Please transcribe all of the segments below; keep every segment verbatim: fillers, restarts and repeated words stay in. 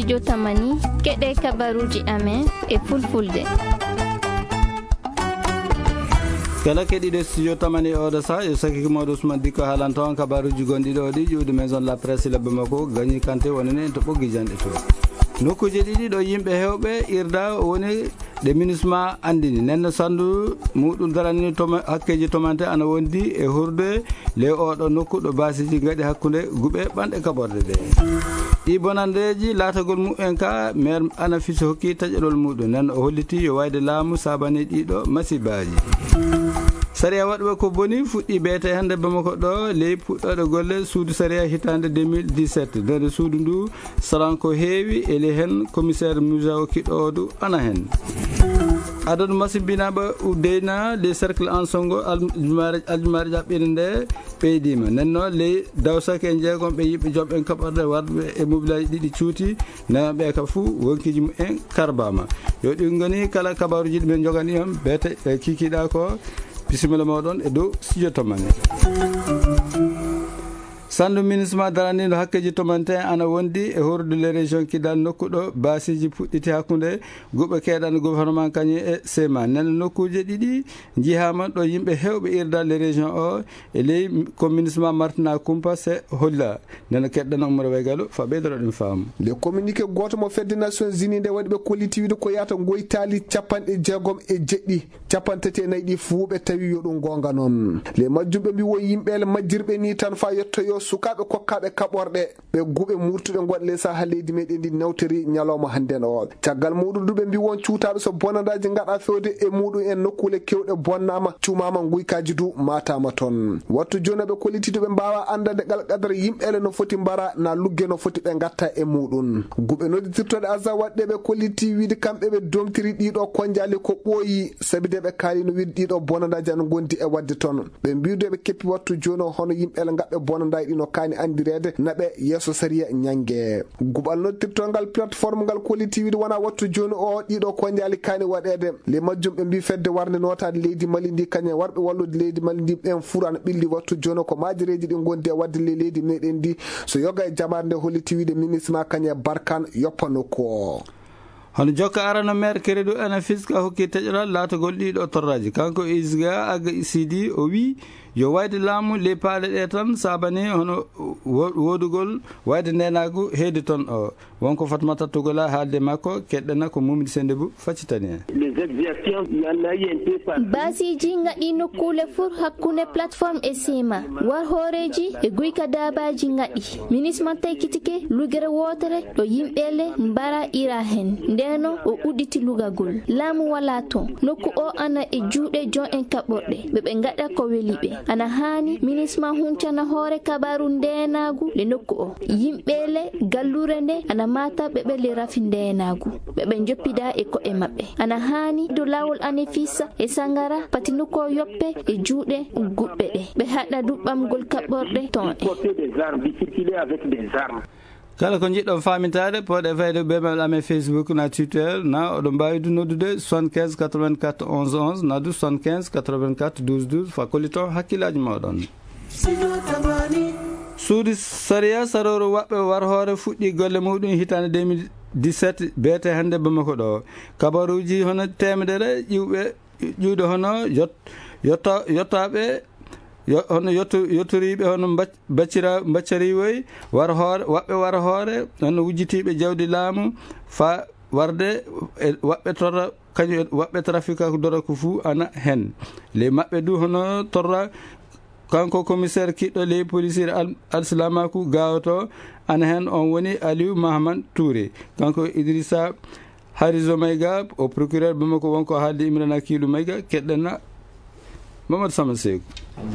Studio Tamani, keɗe kabaruuji amen e fulfulde. Kala keɗiiɗo Studio Tamani e oɗo saha, yo sakki ko mawɗo Ousmane Dicko haalanta on kabaruuji gonɗi ɗo ɗi ƴuwdi Maison de la Presse Labbe Makko, Gagny Kanté wonani en to Ɓoggi Janɗe to. Nokkuuje ɗiɗi ɗo yimɓe heewɓe irda woni ɗe MINUSMA anndini. Nden no sanndu muɗum darani toma-, hakkeeji tomante ana wondi e hurde ley oɗo nokku ɗo baasiiji ngaɗi hakkunde guɓe ɓanɗe kaɓorɗe ɗe. Ɗi bonandeeji laatagol mumen ka, maire Anafis hokki taƴoɗol muɗum. Nden o holliti yo wayde laamu saabani ɗiɗo masibaaji. Sariya waɗuɓe ko boni fuɗɗi beete hannde Bamako ɗo ley puɗɗooɗe golle suudu sariya hitaande deux mille dix-sept. Nder suudu ndu salan ko heewi, eli heen commissaire Moussa Kiɗoodu ana heen. Adadu masimbinaaɓe uddeyna les cercles en songo al-, aljumaare, aljumaare ƴaɓɓiinde nde ɓeydiima. Nden noon ley dawsake en jeegom ɓe yimɓe joom en kaɓorɗe warɓe e mobilaaji ɗiɗi cuuti, nayaɓe ka fuu wonkiiji mumen karbaama. Yo ɗi ngoni kala kabaruuji ɗi men njogani on, beete e kikiiɗa ko bisimilla mooɗon e dow studio to mane. Sanndu MINUSMA daraniiɗo hakkeeji tomante ana wondi e horde les régions Kidal nokku ɗo baasiiji puɗɗiti hakkunde guɓe keedani gouvernement kañum e sema. Nden nokkuuje ɗiɗi njihaama ɗo yimɓe heewɓe irda les régions o e ley ko MINUSMA martina kumpa se holla. Nden keɗɗana Umar Waygalu fa ɓeydoro ɗum faamu. Le communiqué gooto mo fedde Nations Unies nde waɗi ɓe kolliti wiide ko yahata ngoytaali capanɗe jeegom e jeɗɗi. Cappanɗe tati e nayi ɗi fuu ɓe tawi yo ɗum goonga noon. Le majjum ɓe mbi won yimɓe le majjirɓe ni tan faa yettoyo sukaaɓe kokkaaɓe kaɓorɗe. Ɓe guɓe murtuɗe ngonɗe le saha leydi meɗen ndi nawtori ñalawma hannden o. Caggal muɗum du ɓe mbi won cuutaaɓe so bonandaaji ngaɗa fewde e muɗum en nokkuule kewɗe bonnaama, cumaama nguykaaji du maataama toon. Wattu jooni ɓe kolliti du ɓe mbaawa anndande ngal qadara yimɓe le no foti mbara na lugge no foti ɓe ngatta e muɗum. Guɓe nodditirtoɗe Azza waɗde ɓe kolliti wiide kamɓe ɓe domtiri ɗiɗo konjaali ko ɓooyi, sabi de ɓe kaali no wiide ɗiɗo bonandaaji ana ngondi e waɗde toon. Ɓe mbiidu ɓe keppi wattu jooni o hono yimɓe le ngaɓɓe bonandaaji ɗi no kaani anndireede na ɓe yeeso sariya ñannge. Guɓal noddirtongal plateforme ngal kolliti wiide wona wattu jooni o ɗiɗo konjaali kaani waɗeede. Le majjum ɓe mbii fedde warnde nootaade leydi Mali ndi kañum e warɓe wallude leydi Mali ndi ɓen fuu ana ɓilli wattu jooni o ko maajereeji ɗi ngondi e waɗde le leydi meɗen ndi. So yoga e jaɓaade nde holliti wiide MINUSMA kañum e Barkhane yoppa nokku o. Hono jokka arano maire Keredu Anafis ka hokki teƴoral laatagol ɗiɗo torraji. Kanko Isga Aga Sidi o wi yo wayde laamu ley paale ɗe tan saabani hono wo-, wodugol wayde ndenagu heedi toon o. Wonko Fatmata Togola haalde makko keɗɗana ko Mumidi Sendebu faccitani en. Les exactions, il y en a eu un peu partout. Baasiiji ngaɗi nokkuule fur hakkunde plateforme e sema. War hooreeji e guyka daabaaji ngaɗi. MINUSMA taykitike lugere wootere ɗo yimɓe le mbara ira heen. Ndeno o udditi lugagol. Laamu walaa toon. Nokku o ana e juuɗe joom en kaɓorɗe. Ɓe ɓe ngaɗa ko weli ɓe. Ana haani MINUSMA huncana hoore kabaaru ndeenaagu le nokku o. Yimɓe le gallure nde ana maata ɓe ɓe le rafi ndeenaagu. Ɓe ɓe njoppida e ko'e maɓɓe. Ana haani dow laawol Anefisa e Sangara pati nokku o yoppe e juuɗe guɓɓe ɗe. Ɓe haɗa du ɓamgol kaɓorɗe toon e. Porter des armes, di circuler avec des armes. Kala ko njiɗɗon faamintaade, pooɗe fayde ɓeɓal amen Facebook na Twitter, na oɗon mbaawi du noddude soixante-quinze quatre-vingt-quatre onze onze, na du soixante-quinze quatre-vingt-quatre douze douze, fa kolliton hakkillaaji mooɗon. Suudu sariya sarooru waɓɓe war hoore fuɗɗi golle muɗum hitaande deux mille dix-sept, beete hannde Bamako ɗo. Kabaruuji hono teemedere ƴiwɓe ƴuwde hono yot-, yotta-, yottaaɓe, yo-, hono yotto-, yottoriiɓe hono mbac-, baccira-, mbaccariiwoy, war hoore, waɓɓe war hoore, hono wujjitiiɓe jawdi laamu, faa warde e waɓɓe torra, kañum e waɓɓe trafika dorog fuu ana heen. Ley maɓɓe du hono torra, kanko commissaire kiɗɗo ley policier al-, alsilamaaku gawoto ana heen, on woni Aliou Mahaman Touré. Kanko Idrissa Harizo Maïga, o procureur Bamako wonko haalde Imrana Kiilu Maïga, keɗɗana Mamadou Sama Seeku.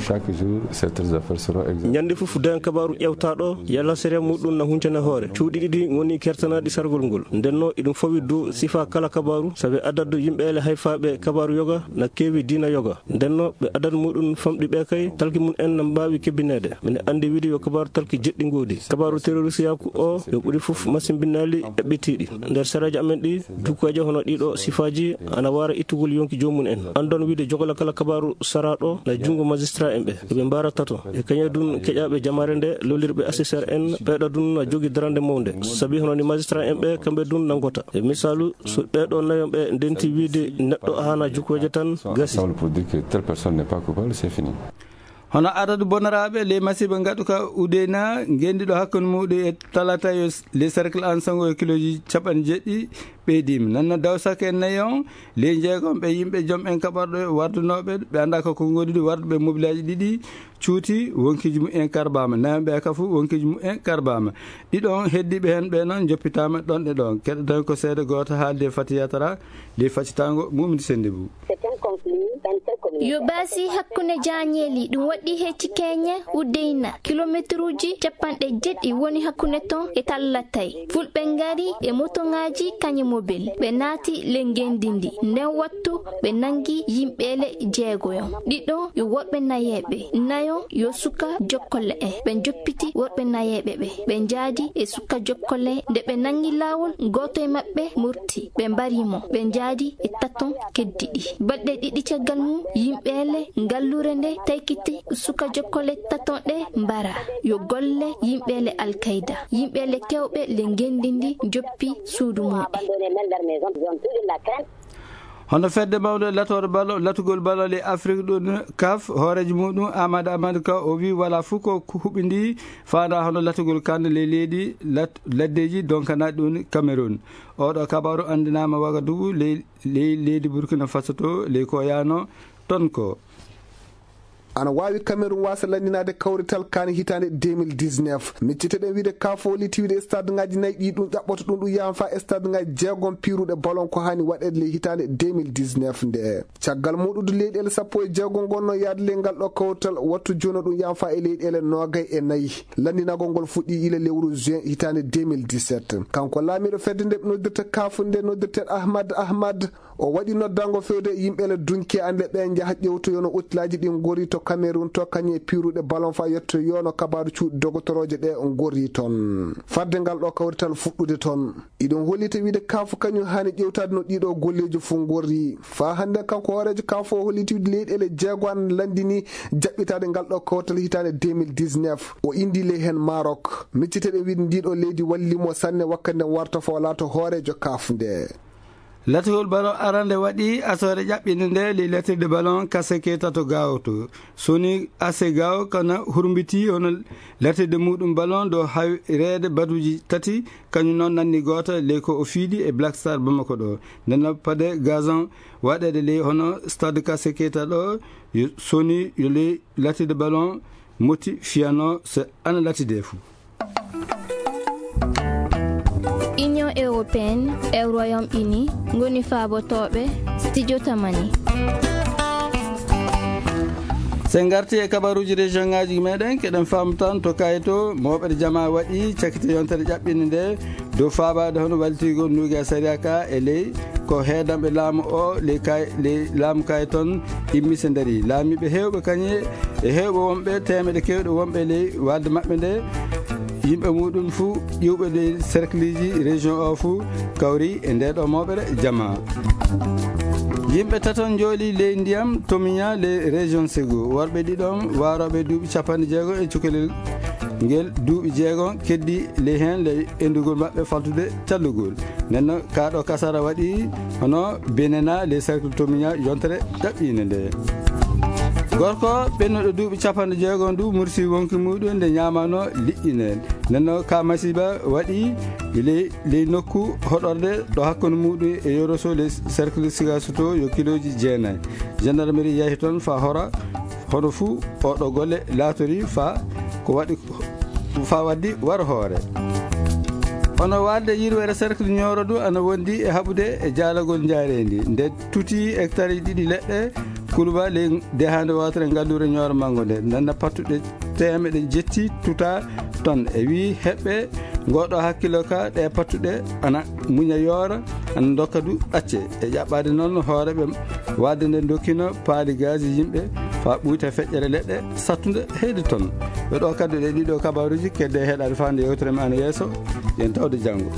Chaque jour, ces affaires seront examinées. Ñande fof, dañ kabaaru ƴewtaaɗo, yalla sariya muɗum na huncana hoore. Cuuɗi ɗiɗi ngoni kertanaaɗi sargol ngol. Ndenno, iɗum fawi dow sifa kala kabaaru, sabi adadu yimɓe ele hayfaaɓe kabaaru yoga na keewi diina yoga. Ndenno, ɓe adadu muɗum famɗi ɓe kay, talki mum en na mbaawi kebbineede. Mine anndi wiide yo kabaaru talki jeɗɗi ngoodi. Kabaaru terroriste yaaku o, yo ɓuri fof masimbinnaali eɓɓitiiɗi. Nder saraaji amen ɗi, dukoje hono ɗiɗo sifaaji ana waara ittugol yonki joomum en. Anndon wiide jogola kala kabaaru saraaɗo na junngo magistrat en ɓe, ɓe mbaara tato. E kañe dun keƴaaɓe jamaare nde, lollirɓe assesseur en, ɓeeɗo dun a jogi darande mawnde. Sabi hono ni magistrat en ɓe, kamɓe dun nanngota. E misaalu, so ɓeeɗo nayon ɓe ndenti wiide neɗɗo haana jukkoje tan, gasi. Ensemble pour dire que telle personne n'est pas coupable, c'est fini. Hono adadu bonaraaɓe ley masiiba ngaɗuka Udeyna, ngendiɗo hakkunde muuɗum e talata yo s-, ley cercle an sango e kilooji capanɗe jeeɗiɗi ɓeydiima. Nanno dawsaka e nayi on, ley jeegom ɓe yimɓe jom en kaɓorɗe wardunooɓe, ɓe anndaa ko ko ngoni ɗi warduɓe mobilaaji ɗiɗi cuuti, wonkiiji mumen karbaama. Nayon ɓe ka fof wonkiiji mumen karbaama. Ɗiɗon heddiiɓe heen ɓe noon njoppitaama ɗon e ɗon. Keɗoton ko seede gooto haalde Fati Yatara, ley faccitaango Mumini Sennde Bou. Yo baasi hakkunde jaañeeli, ɗum waɗi he Cikeñe, Udeyna. Kilomeetruuji capanɗe jeeɗiɗi woni hakkunde ton e Tallatay. Fulɓe ngari e motoŋaaji kañe mobil. Ɓe naati le ngenndi ndi. Nden wattu ɓe nangi yimɓeele jeegoyon. Ɗiɗon yo worɓe nayeeɓe. Nayon yo suka jokkole en. Ɓe njoppiti worɓe nayeeɓe ɓe. Ɓe njaadi e suka jokkole. Nde ɓe nangi laawol, gooto e maɓɓe murti. Ɓe mbari mo. Ɓe njaadi e taton keddiɗi. Balɗe ɗiɗi caggal mum, yimɓeele ngalluure nde taykiti suka jokkole taton ɗe mbara. Yo golle yimɓeele Al-Qaida. Yimɓeele kewɓe le ngenndi ndi njoppi suudu mumen. Hono fedde mawnde latoore balo, latugol balo le Afrik ɗum kaf, hooreejo muɗum Amadou Amadou Ka o wi wala fof ko huɓindi faanda hono latugol kan le leydi lat-, laddeji donkanaaɗi ɗum Cameroun. Oɗo kabaru anndinaama Wagadugu, ley, ley leydi Burkina Faso to, ley ko yaano ton ko. Ana waawi Cameroun waasa lanndinaade kawrital kan hitaande deux mille dix-neuf. Micciteɗen wiide kaf o liti wiide stade ngaji nayi ɗi ɗum ƴaɓɓoto ɗum, ɗum yahan fa stade ngaji jeegom piiruɗe ballon ko hani waɗeede ley hitaande deux mille dix-neuf nde. Caggal muɗude leyɗeele sappo e jeegom ngonno yaade ley ngal ɗo kawrital, wattu jono ɗum yahan fa e leyɗeele noogay e nayi. Lanndinagol ngol fuɗɗi ila lewru juin hitaande deux mille dix-sept. Kanko laamiiɗo fedde nde ɓe noddirta kaf nde noddirte Ahmad Ahmad, o waɗi noddango fewde yimɓe le dunki ande ɓe njaha ƴewtoyono utilaaji ɗi ngori to Cameroun to kañe piiruɗe ballon fa yettoyono kabaru cuuɗi dogotorooje ɗe ngori ton. Fadde ngal ɗo kawrital fuɗɗude ton. Iɗum hollita wiide kaf kañum hani ƴewtaade no ɗiɗo golleeji fof ngorri. Fa hannde kanko hooreejo kaf o holliti wiide leyɗeele jeego an lanndini jaɓɓitaade ngal ɗo kawtal hitaande deux mille dix-neuf. O indi ley heen Maroc. Micciteɗen wiide ndiɗo leydi wallimo sanne wakkati nden warta fo laato hooreejo kaf nde. Latugol ballon arande waɗi asoore ƴaɓɓinde nde ley latirde ballon Kaseke tato Gao to. Soni Ase Gao kana hurmbiti hono latirde muɗum ballon ɗo hawreede baduji tati, kañum noon nanni gooto ley ko o fiidi e Black Star Bamako ɗo. Nden noon pade gazon waɗeede ley hono stade Kaseke tato ɗo, yo soni yo ley latirde ballon moti fiyano se ana latide fou. Union européenne e Royaume-Uni ngoni faabotooɓe studio Tamani. Sen ngarti e kabaruuji région ngaaji meɗen, keɗen faamu tan to Kayto, mooɓere jama waɗi cakite yontere ƴaɓɓinde nde dow faabaade hono wallitigol nuuge sariya ka e ley ko heedanɓe laamu o ley kay, ley laamu kay ton immi se ndari. Laamiiɓe heewɓe kañe e heewɓe wonɓe teemeɗe keewɗe wonɓe ley waalde maɓɓe nde, yimɓe muɗum fuu ƴiwɓe ley cercleji région o fuu kawri e nde ɗo mooɓere jama. Yimɓe taton njooli ley ndiyam Tomiña ley région Ségou. Worɓe ɗiɗon waarooɓe duuɓi capanɗe jeego e cukalel ngel duuɓi jeego keddi ley heen ley endugol maɓɓe faltude callugol. Nden noon, kaa ɗo kasara waɗi hono Benena, les cercles Tomiña, yontere ɗaɓɓiinde nde. Gorko ɓennuɗo duuɓi capanɗe jeego ndu mursi wonki muɗum nde ñaamano liƴƴi nden. Nden noon, ka masiiba waɗi ley, ley nokku hoɗorde ɗo hakkunde muɗum e Yoroso, les cercles Sigasoto, yo kilooji jeenayi. Gendarmerie yahi toon fa hora, hono fuu oɗo golle laatori fa ko waɗi fa waddi war hoore. Hono waalde yirwere cercle Nioro du ana wondi e haɓude e jaalagol njaareendi. Nde tuti hectare ɗiɗi leɗɗe kuluba ley dehaande wootere ngalluure Nioro Mango nde. Nanna pattuɗe teemeɗe jetti tuta ton. E wii heɓɓe ngoɗo hakkilo ka ɗe pattuɗe ana muña yoora, ana dokka du ɗacce. E ƴaɓɓaade noon hoore ɓe waalde nde dokkino paali gaaji yimɓe fa ɓuyta feƴƴere leɗɗe sattunde heyde ton. Ɓe ɗo kaddu ɗe ɗiɗo kabaruuji kedde heɗaade faande yewtere men ana yeeso. Yen tawde janngo.